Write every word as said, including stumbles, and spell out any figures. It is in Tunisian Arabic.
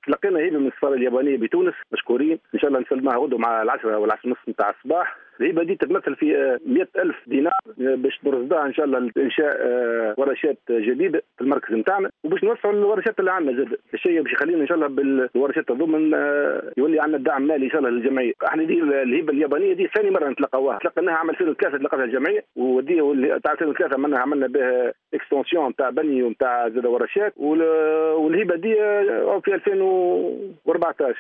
تلقينا هبه من السفارة اليابانية بتونس، مشكورين، ان شاء الله نسلمها غدوه مع العشرة والعشرة ونص نتاع الصباح. الهبة دي تتمثل في مئة ألف دينار باش نرصدها ان شاء الله لانشاء آه، ورشات جديدة في المركز نتاعنا وباش نوسعوا الورشات اللي عندنا زاد. الشيء باش يخلينا ان شاء الله بالورشات هذوما آه، يولي عندنا دعم مالي ان شاء الله للجمعيه. احنا دي الهبة اليابانية دي ثاني مرة نتلقاوها، تلقيناها عام ألفين وثلاثة، تلقاها الجمعيه، ودي تاع ألفين وثلاثة عملنا عملنا بها extension تاع بني ونتاع زاد ورشات، والهبه دي آه، في ألفين وأربعطاش.